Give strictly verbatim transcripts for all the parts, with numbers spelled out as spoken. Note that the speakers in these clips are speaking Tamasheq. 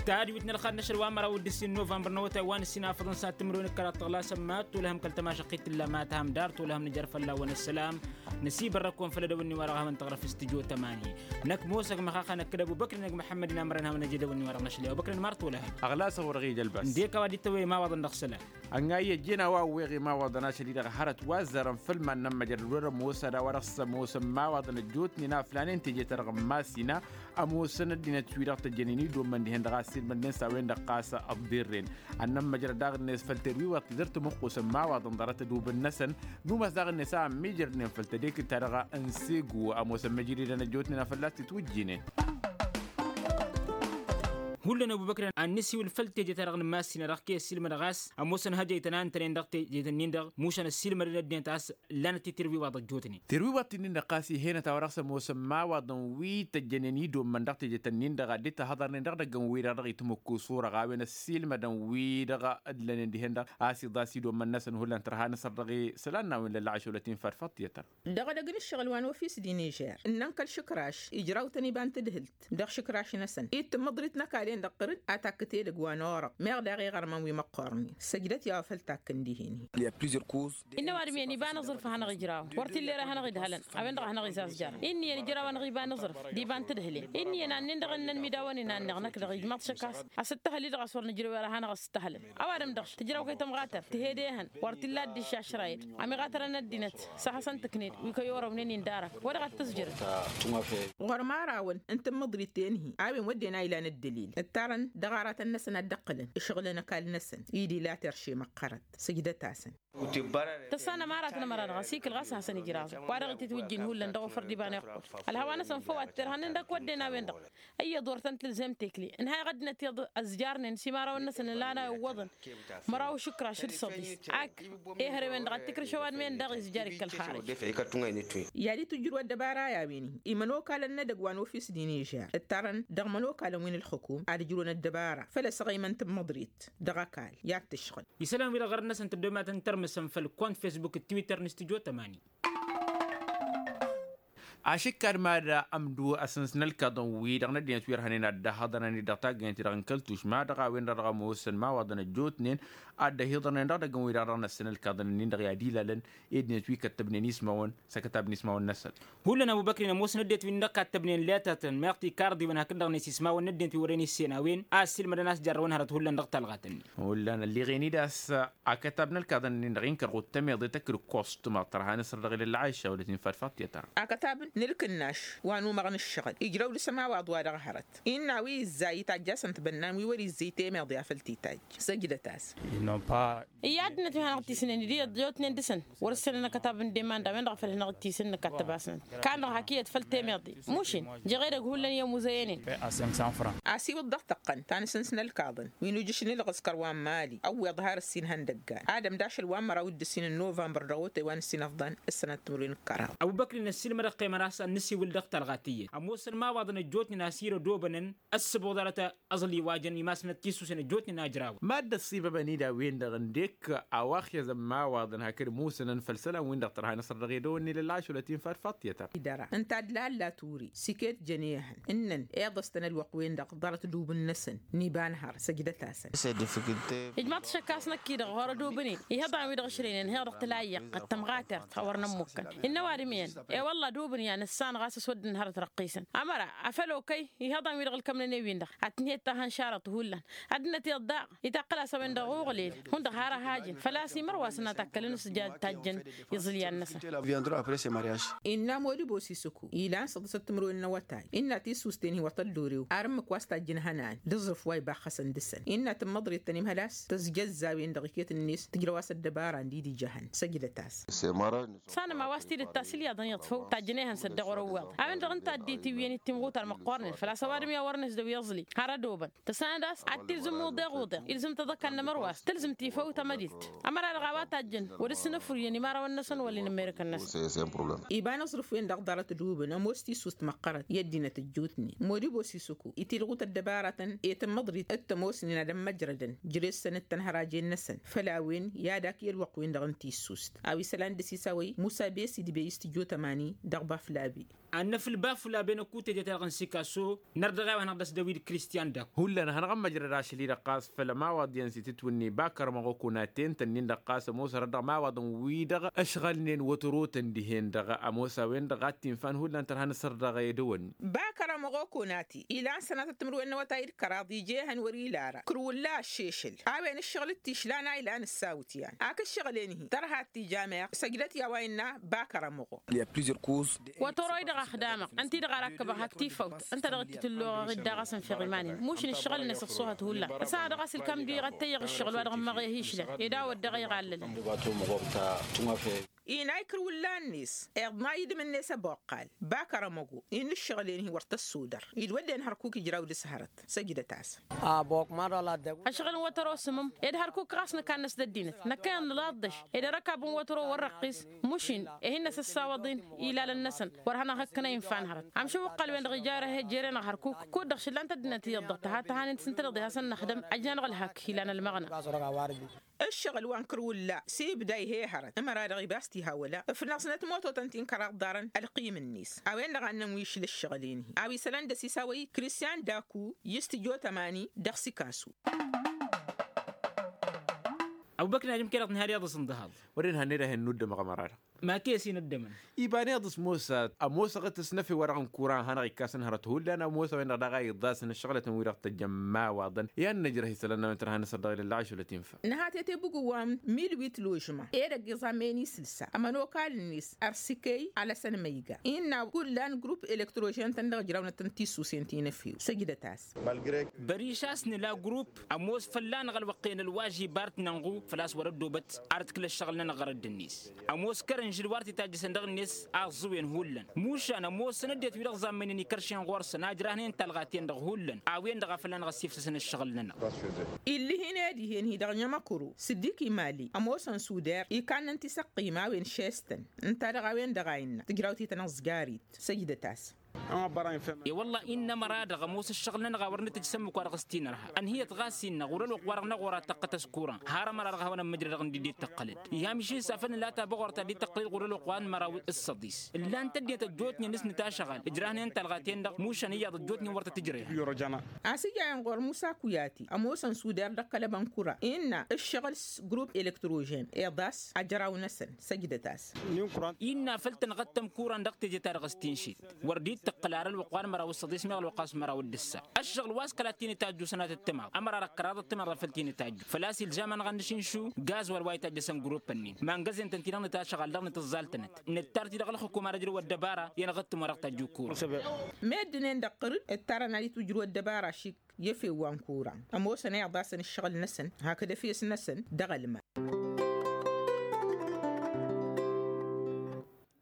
Tadwit n-ălxad n-ašăl wa n-măraw d-ǝssin novămbăr n-awătay wa n-ǝssin afăḍăn s-ad-tǝmrăwen ǝkkăraḍ tăɣlasăn ma t-olăhăm kăl-tămašăqqit tǝlla ma tǝham dar t-olăhăm nǝjăr fălla-wăn ăssălam. Năsibărrăk-wăn făll-edăwănni wa dăɣ-ehăwăn tăɣrăf s-tǝjo tămani. Năkk mosăg măxaxa năkk d-ăbubăkri n-egg măḥămmăd-in amărăn hawăn-ăj edăwănni wa dăɣ-năšăl i-ăbubăkri n-măr t-olăhăm. Ăɣlasăɣ wăr-ɣija ălbas. Ǝndek a-wa dd-tăwwăy imawaḍăn dăɣ-isălan. Ănn'-ayy ăjjeen a-wa ăwweɣ imawaḍăn ašăl-i-dăɣ hărăt wa ăzzarăn făll-iman n-ămmăjrăd wăr-ămoos ad-a-wa dăɣ-s ămoosăn imawaḍăn ăjjootnen aflanen teje-ta-dăɣ n-imass-ina. Ămoosăn ăddinăt-wi-dăɣ tăjjănen idommăn dihen-dăɣ a ăssiilmădnen s-a-wen-dăɣ ɣas ăḍḍirren. Ad-nămmăjrăd daɣ-net făll-terwiwăḍt ti dăr-tămuqqusăn imawaḍăn ḍarăt ădubǝn-năsăn. Numas daɣ-net a ămmiijrădnen făll-tedekǝt-ta-dăɣ n-segu ămoosăn măjridăn ăjjootnen a fălla-s titwǝjjinen. Hullan ăbubăkri ad-nǝsiwǝl făll-teje-ta-dăɣ n-imass-ina dăɣ-kăy-ăssiilmădăɣ a-s ămoosăn hăjăytăn a ǝntănen dăɣ-teje-tăn-in-dăɣ mušan ăssiilmădăn ăddinăt a-s. Ǝllanăt-i tirwiwaḍ ăjjootnen. Tirwiwaḍt-in-dăɣ ɣas ih'-enăt a-wa dăɣ-s ămoosăn imawaḍăn wi tăjjănen idommăn dăɣ-teje-tăn-in-dăɣ a dd-tahăḍărnen dăɣ-idăgg n-wi-dăɣ dăɣ-itmǝkku s-orăɣ a-wen ăssiilmădăn wi-dăɣ ǝllănen dihen-dăɣ a-s iḍas idommăn-năsăn hullan tărha n-asăr dăɣ-isălan n-a-wen lălla ašăwlăt-in fad făṭṭiyătăr. Dăɣ-edăgg n-ǝššăɣǝl wa n-ofis d-inižer ǝnnăn kăl-išǝkraš ijraw-tăn iba n-tadhǝlt dăɣ-išǝkraš-năsăn i d-tǝmmăḍrit n-ăkall-en-dăɣ ɣǝr-dd a takkǝt edăgg wa n-orăɣ meɣ daɣ iɣărmăn wi măqqoornen săjdăt i-a-wa făl takkăn dihen-in. Innă ăwadǝm iyyăn iba n-aẓrǝf a hanăɣ-ijrawăn wăr t-illa ere a hanăɣ-idhălăn a-wen-dăɣ a hanăɣ-izazjarăn. Inn'-iyyăn ijrawăn ɣiba n-aẓrǝf d-iba n-tadhǝlen. Inn'-iyyăn annin-dăɣ ǝnnăn midawăn-in a ǝnneɣ năkk dăɣ-ijmaḍ šăkkas. A-s ǝttăhăl-i-dăɣ a-s wăr nǝjrăw ere a hanăɣ-s ǝttăhălăn. Ăwadǝm-dăɣ tǝjraw kăy-tămɣatărt tǝhed ehăn wăr t-illa dd-išašrayăn. Amiɣatărăn ăddinăt s-ad-hasăn-tǝkned wi kăy-orăwnen-in d-arăk wa dăɣ-ad-tǝzjǝrǝt. Ɣur-imărawăn n-tǝmmǝḍrit tenhi a-wen wădden a ilan ǝddălil ǝttarăn dăɣ-aratăn-năsăn ad-dd-ǝqqǝlăn ǝšɣǝlăn ăkall-năsăn. Id-ila terše măqqărăt sǝjdăt-asăn. Tăssanăm aratăn ămăra-dăɣ ăsikǝl ɣas a hasăn-ijraẓăn wa dăɣ-ititwǝjjin hullan dăɣ-ofăr d-iba n-iqqul. Ălhawa-năsăn făw ad-t-irhăn ǝndăk wădden a-wen-dăɣ. Ăyyăḍ wăr tăn-tǝlzem tekle ǝnhayăɣ ăddinăt iyyăḍ ăzjarnen s-imărawăn-năsăn ǝlan a iwwăḍăn. Măraw išǝkraš d-săḍis ak ehărewen-dăɣ ad-t-ikrǝš ăwadǝm-en-dăɣ izjar-ik kăl-xarăj. I-ad-itwǝjjǝr wăr-ăddăbara i-a-wen-i imănokalăn n-edăgg wa n-ofis d-inižer ǝttarăn dăɣ-imănokalăn wi n-ǝlxǝkum ad-ǝjrǝwăn ăddăbara făll-asăɣăymăn n-tǝmmăḍrit. Dăɣ-ăkall i-ad-tǝšɣǝl isălan-wi-dăɣ ɣărăt-năsăn tăddomatăn tărmǝsăn făll-kont fesbuk d-twitter n-stujo tămani. Ašǝkkad mad-ămdu asǝns n-ălkaḍăn-wi-dăɣ n-ăddinăt wi ărhănen ad-dd-ăhhăḍărăn-dd dăɣ-taggăyăn-ti-dăɣ n-kăl-tušma dăɣ-a-wen-dăɣ dăɣ-ămoosăn imawaḍăn ăjjootnen. Ad-dd-ăhiḍărnen dăɣ-idăgg-wi-dăɣ dăɣ-năssăn ălkaḍăn-nin-dăɣ i-ad-ilalăn ed dinăt wi kăttăbnen ismawăn s-akătab n-ismawăn-năsăn. Hullan ăbubăkri n-ămoosăn ăddinăt wi n-dăɣ kattăbnen letătăn meɣ tikarḍiwăn hakd-dăɣ-net ismawăn n-ăddinăt wi wărăn issen a-wen a ăssiilmădăn a-s jarrăwăn hărăt hullan dăɣ-talɣat-nin. Hullan ălliɣen-dd a-s akătab n-ălkaḍăn-nin-dăɣ inkăr ɣud tămeḍe tăkk d-kostum ad-tărha n-asăr dăɣ-ilălla ašawlăt-in fad făṭṭiyăt-ar. Akătab n-ǝlkǝnnaš wa n-umăɣ n-ǝššăɣǝl ijrăw dăɣ-s ămawaḍ wa dăɣ-hărăt. Innă a-wi ǝzzay itajj'-asăn tibănnan wi wăr-izzăy temeḍe a făl t-itajj. Săjdăt-as. Iyyă ăddinăt wi hanăɣ-tisnen d-iyyăḍ ăjjootnen dăɣ-săn wăr-ǝssănăn akătab n-deman d-a-wen-dăɣ a făl hanăɣ-tisǝnnǝk ad-tăbasnăn. Kannăɣ hak iyyăt făll-temeḍe mušin. Jeɣ edăgg hullan i-ămuzăyănen. Asiwǝḍ dăɣ-tăqqăn ta n-asǝns n-ălkaḍăn wi n-ujǝš n-ilɣǝskăr wa n-mali ăwweḍ har ǝssin ihăndăggan ad-ămd ašăl wa n-măraw d-ǝssin n-novămbăr dăɣ-otay wa n-ǝssin ăfḍăn. Ǝssănăt timǝrwen n-kăraḍ. Ăbubăkri n-ăssiilmădăɣ qeymăr a-s ad-nǝsiwǝl dăɣ-talɣa tiyyăt ămoosăn imawaḍăn ăjjootnen a-s irădobănăn ăssăboḍarăt. Aẓli wa jăn imasnăt tisusen ăjjootnen a ǝjrawăn. Mad-dd-ăṣṣibăbăn-dd a-wen-dăɣ ǝndek a-wa ăxyăẓăn imawaḍăn hakd musǝnăn făll-isălan-win-dăɣ tărha n-asăr dăɣ-edăwănni lălla ašăwlăt-in fad făṭṭiyăt-ar. Ǝnta d-lalla turi siket jăn ehăn ǝnnăn iḍăstăn ălwăqq-wen-dăɣ ḍarăt dubǝn-năsăn n-iba n-hăr săjdăt-asăn. Ijmaḍ-t šăkkas năkk-i-dăɣ horădubǝn-in ihăḍan wi-dăɣ ǝšrăynen heḍăɣ tǝla iyyăqqăt tămɣatert a wăr nămmukkăn. Innă ăwadǝm iyyăn i-wălla dubǝn i-ad-nǝssan ɣas ăswădden hărăt răqqisăn ămăra afăl okăy ihăḍan-wi-dăɣ ǝlkămnăn i-win-dăɣ ad-tǝnhed ta hăn-šarăḍ hullan. Ăddinăt iyyăḍ daɣ itaqqǝl-as a-wen-dăɣ uɣlil hundăɣ har ăhajǝn făl-a-s imărwasăn ad-takkălăn s-ija tajjăn iẓǝlyan-năsăn. Innă modibo sisuku ilan săḍǝsăt timǝrwen n-awătay innă tisusten hi-wăr tăllurew ar ǝmmǝk wa s-tajjǝn ihănan d-aẓrǝf wa ibaxxăsăn dăɣ-săn innă tǝmmăḍrit tăn-imhăl-as tăzjăzzawen dăɣ-iket-net tǝjrăw-as ăddăbara n-didija ihăn săjdăt-as. Tăssanăm a-wa s-tidǝt ta s-ilyaḍăn iyyăḍ făw tajjăn ehăn s-ăddiɣ wăr-ăwweḍ a-wen-dăɣ ǝnta a dd-itiwǝyăn ittimɣutar măqqoornen făl-a-s ăwadǝm i-a wărăn isdăw iẓli har ădobăn. Tăssanăd a-s ad-tilzǝm uḍeɣ uḍeɣ ilzǝm-t ad-ăkall n-emărwas tǝlzǝm-t ifăw tamădilt. Ămăra-dăɣ a-wa tajjăn wăr-ǝssǝnǝfrǝyăn imărawăn-năsăn wăla inǝmmerǝkăn-năsăn. Iba n-aẓrǝf-wen-dăɣ ḍarăt ădobăn ămoos tisust măqqărăt i-ăddinăt ăjjootnen modibo sisuku itilɣu-t ăddăbaratăn i-tǝmmăḍrit d-tămoosnen ad-ămmăjrădăn jere-săn d-tănhărajen-năsăn făll-a-wen i-ad-ak i-ălwăqq-wen-dăɣ n-tissust. A-wa isălan dăɣ-s isawăy musa besi d-bey s-tǝjot ămani dăɣ-baflabi. Ad-năfǝl bafula ben ăkutăjet-a-dăɣ n-sikaso. Nărdăɣ a-wa hanăɣ-dd-ăsdăwid kristian dak. Hullan hanăɣ-ămmăjrăd ašăl-i-dăɣ ɣas făll-ămawaḍ iyyăn s-itǝtwǝnni bakăr ămăɣokona te n-tănnin-dăɣ ɣas ămoosărăt dăɣ-ămawaḍăn-wi-dăɣ ăšɣălnen wătărotăn dihen-dăɣ. Ămoos a-wen-dăɣ a t-infa n-hullan tărha n-asărdăɣ edăwănni. Bakăr ămăɣokona ti ilan sănatăt timǝrwen n-awătay d-kăraḍ ija ehăn wăr-ila ara kǝrwǝlla ăššešăl. A-wen ǝššăɣǝl d-tišlan a ilan ǝssawǝtyan ak ǝššăɣǝl-en-hi tărha d-tija meɣ săjdăt i-a-wa innă bakăr ămăɣo. Wătăro-i-dăɣ a xdamăɣ ǝnta-i-dăɣ a rakkăbăɣ hak tifăwt ǝnta-dăɣ dd-tǝllăɣăɣ-dd daɣ a-s ǝnfiɣ iman-in mušǝn ǝššăɣǝl-năsăn s-ohăt hullan. Ăsahăɣ dăɣ-a-s ǝlkam dd-iɣăttăyăɣ ǝššăɣǝl wa dăɣ-ămmăɣ i-hi-išlăn ed a-wăt dăɣ-iɣallălăn. Inay kǝrwǝllan-net iḍna idǝm-net ăboqqal bakăr ămăgo. Innă ǝššăɣǝl-en-hi wăr tăssudăr idwădden hărkuk ijraw dăɣ-s hărăt. Săjdăt-asăn. Ăšɣǝl n-wătăro s-ǝmmǝm ed hărkuk ɣas nǝkannăs d-ăddinăt năkkăyăn nǝlaḍ dăš ed ărăkab n-wătăro wăr-răqqis. Mušin ih'-in năsăssawaḍ-in ilalăn-năsăn wăr hanăɣ-hăkkănăy n-fan hărăt. Amšăw ǝqqăl-wen-dăɣ ija ere he-dd-jere-năɣ hărkuk kud-dăɣ šǝllan-t ăddinăt iyyăḍ dăɣ-tăha tăhanen s-ǝntăneḍ i-hasăn-năxdăm ăjnanăɣ ǝlhăk ilan ălmăɣna. Ǝššăɣǝl wa n-kărwǝlla s-ibda ih'-e hărăt ămăra-dăɣ ibas tihawăla ǝfnăẓnăt mototăn ti n-kăraḍ ḍarăn ălqim-net. A-wen-dăɣ a ǝnnăn wi išǝl ǝššăɣǝl-en-hi a-wa isălan dăɣ-s isawăy kristian daku i-s tǝjo tămani dăɣ-sikasu. Ăbubăkr n-ad-imkăyăd ad-nǝhad iyyăḍ s-ǝnḍǝhaḍ. Wăren hannăy d-ahen n-uddămăɣ ămăra-dăɣ. Ma kăy-ăsinăddămăn. Iba n-iyyăḍ s-mosa ămoosăɣ-t s-năfe-wa-dăɣ n-kuran hanăɣ-ikkasăn hărăt hullan ămoosăɣ-en-dăɣ daɣ a iḍasăn ǝššăɣǝlătăn-wi-dăɣ tăjjăn imawaḍăn. I-ad-nǝjrăh isălan-năwăn tărha n-asăr dăɣ-ilălla ašăl ătinfa. Nǝha tetebug wa n-milwit ložma edăgg iẓammen isǝlsa ămănokal-net ărsǝkey alăsăn măyga innă kullan grup elektrožen-tăn dăɣ-ǝjrawnăt n-tisusen ti n-efew. Săjdăt-as. Băriš a-s nǝla grup ămoos fălla-năɣ ălwăqq-en ălwažib ar t-nănɣu făl-a-s wăr-ăddobăt ar t-kǝl ăššăɣǝl-nănăɣ ɣărădd-net. Ămoos kărănžǝl wa ar t-itajjăsăn dăɣ-net aẓẓǝwen hullan mušan ămoosăn ăddinăt-wi-dăɣ ẓammăynen ikăršen ɣur-săn a ǝjrahnen talɣa-ten-dăɣ hullan. A-wen-dăɣ a fălla-năɣ ăssifsăsăn ăššăɣǝl-nănăɣ. Ill'-ihin ed ih'-en-hi dăɣ-nămăkăro s-dd-ikimali ămoosăn suder ikannăn tisăqqim a-wen šestăn. Ǝnta-dăɣ a-wen-dăɣ a innă tǝjraw-t i-tăn ăẓgarit. Săjdăt-as. E-wălla-i n-amăra-dăɣ ămoos ăššăɣǝl-nănăɣ a wăr nǝtǝjj s-ămmuk-wa-dăɣ s-tinărha ănhǝyăt ɣas innă ɣur-ălwăqq-wa-dăɣ n-aɣora taqqăt ăskura. Har ămăra-dăɣ a hawăn-ămmăjrădăɣ ǝnda dd-tăqqălăd. Iham išǝnsa făll-nǝla tabăɣort ta dd-tăqqălăd ɣur-ălwăqq wa n-măraw d-săḍis. Ǝllan-t ăddinăt ăjjootnen s-nǝtašăɣal ǝjrahnen talɣa-ten-dăɣ mušan iyyăḍ ăjjootnen wăr tăt-ǝjrăyăr. Ăsijayăn ɣur-musa kuyati ămoosăn suder dăɣ-kălăbăn kura innă ǝššăɣǝl s-grup elektrožen iḍas ajraw-năsăn. Săjdăt-as. Innă făl tănɣăt tămkuran dăɣ-teje-ta-dăɣ s-tinšit wăr dd-tăqqǝl ar ălwăqq wa n-măraw d-săḍis meɣ ălwăqq a-s măraw d-ǝssa. Ăššăɣǝl wa s-kăla t-in-itajju sănatăt timaḍ ămăra dăɣ-kăraḍăt timaḍ făl t-in-itajju făl-a-s ilžamăn ɣănnăš inšu gaz wăr wa itajjăsăn grupp-ǝnnin. Mangăzen-tăn-ti-dăɣ nǝtašăɣal dăɣ-nǝtǝẓẓal-tănăt nǝttar-t-i dăɣ-ălxǝkum ar ǝjrǝw ăddăbara i-anăɣ-dd-tǝmwăr dăɣ-tajju kura. Meddǝn-en-dăɣ qărǝd ǝttarăn ad-itwǝjrǝw ăddăbara šik i-efew wa n-kura. Ămoosăn a iḍasăn ǝššăɣǝl-năsăn hakd efes-năsăn dăɣ-ălman.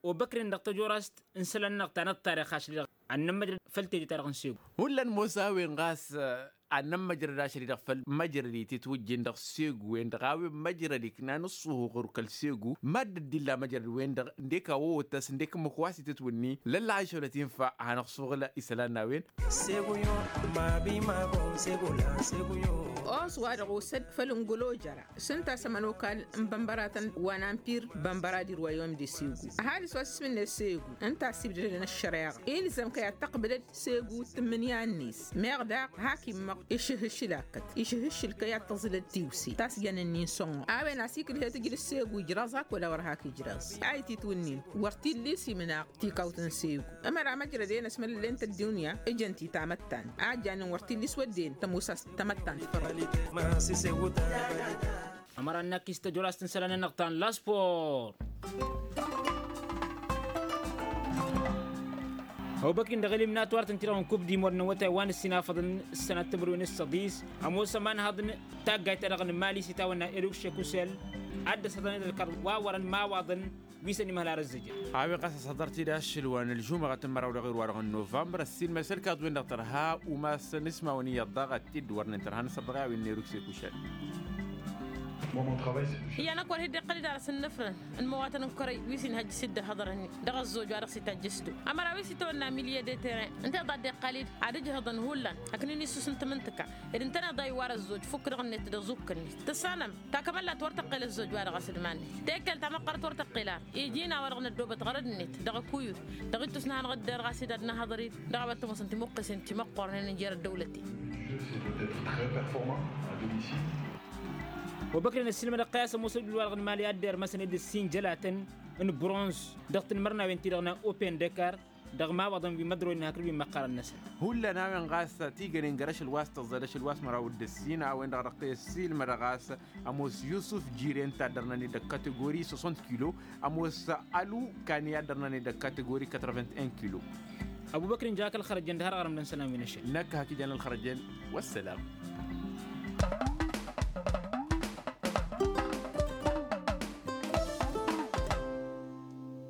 Obăkren dăɣ-tăjorast n-isălan-nănăɣ ta n-ăṭṭarix ašli-dăɣ ad-nămmăjrăd făll-teje-ta-dăɣ n-segu. Hullan mosa a-wen ɣas ad-nămmăjrăd ašăl-i-dăɣ făll-măjrăd itǝtwǝjjin dăɣ-segu-wen-dăɣ a-wen măjrăd iknan ǝṣṣuhu ɣur-kăl-segu. Mad-dd-illa măjrăd-wen-dăɣ ǝndek a wăwăt-as ǝndek ǝmmǝk wa s-itǝtwǝnni lălla ašăl ătinfa hanăɣ-suɣǝl isălan n-a-wen. Segu-yo mabi mago segu-la segu-yo. Os-wa-dăɣ osăd făll-ǝngǝlojăra s-ǝnta a-s ămănokal n-bănbăratăn wa n-ampir bănbăra d-irwayom d-esegu. Ăhalǝs wa s-ismǝnne segu ǝnta a-s ibdădăn ăššăreɣa ilzăm kăy-ad-tăqbǝlăd segu d-tǝmmǝnǝya-net. Meɣ daɣ hak immăɣ išǝhǝššǝl akkăt išǝhǝššǝl kăy-ad-tăẓǝlăd tiwse tasjăn-ǝnnin sănɣăɣ a-wen a-s ikǝlhet ǝjlǝs segu ijrăẓ ak wăla wăr hak ijrăẓ. A ititwǝnnin wăr t-illa isiminăɣ tikawt n-segu. Ămăra măjrăd-en ăsmălăllen-t ăddunya ǝjăn-t i-tamăttant a ăjjanen wăr t-illa iswădden tămoos a-s tamăttant fărăl. Ămăra n-akis tăjolast n-isălan-nănăɣ ta n-laspor. Ăbubăkrin dăɣ-eliminatwar tăn-ti-dăɣ n-kub dimor n-awătay wa n-ǝssinafăḍăn s-sănat timǝrwen s-săḍis. Ămoos ămanhăḍ n-taggayt-ta-dăɣ n-mali s-itawănna eruk šekusel ad-dd-ăshăḍăn d-ălkăḍ wa wărăn imawaḍăn wi s-ănimhăl ar ăzzăjăr. A-wen ɣas ăshăḍăr-t-dd ašăl wa n-ălžumăɣăt n-măraw dăɣ-irwa-dăɣ n-novămbăr ăssiilmăs ălkaḍ-wen-dăɣ tărha umasăn ismawăn iyyăḍ daɣ ad-t-dd-wărnen tărha n-asăr dăɣ-i a-wen n-eruk šekusel. Iyyăn ăkk wăr hi-dd-iqqăl-dd ar s-innăfrăn n-imăwatăn n-kărăy wi s-inhăjjǝs-dd ăhhăḍărăn-in dăɣ-ăzzoj wa dăɣ-s itajjǝs-dd. Ămăra wi s-itawănna milye de terrain ǝnta i-ḍa dd-iqqăl-dd ad-ǝjhǝḍăn hullan hakd n-inǝssus n-tamǝntǝka. Ed ǝntăneḍ a iwar ăzzoj fukk dăɣ-net d-aẓukk-net tǝssanăm. Takămăllat wăr tăqqel ăzzoj wa dăɣ-asǝdman-net tekelt ta măqqărăt wăr tăqqel ar iji n-a-wa-dăɣ năddoobăt ɣărăd-net dăɣ-akuyǝd dăɣ-ittus n-ad-hanăɣ-dd-erɣas-dd ad-nahăḍăr-dd dăɣ-a-wa t-ămoosăn timǝqqǝsen timăqqornen n-jer-ăddăwlăten. Wa băkren ăssiilmădăɣ-t a-s ămoos ădduul-wa-dăɣ n-imali ad-dd-ermăsăn ed ǝssin jălatăn n-bronz dăɣ-tanmărnawen-ti-dăɣ n-open dăkar dăɣ-imawaḍăn wi măḍroynen hakd wi măqqărăn-năsăn. Hullan a-wen ɣas tigănen găr-ašăl wa s-tăẓẓed ašăl wa s-măraw d-ăssin a-wen-dăɣ dăɣ-t ăssiilmădăɣ a-s ămoos yusuf jiren ta ăddărnăn-dd dăɣ-kategori soixante kilo, ămoos alu kani a ăddărnăn-dd dăɣ-kategori quatre-vingt-un kilo. Ăbubăkr inja-k ălxărăjăn d-har ɣărăm d-ănn isălan wi n-ašăl. Năkk hak ijan ălxărăjăn. Wăssălam.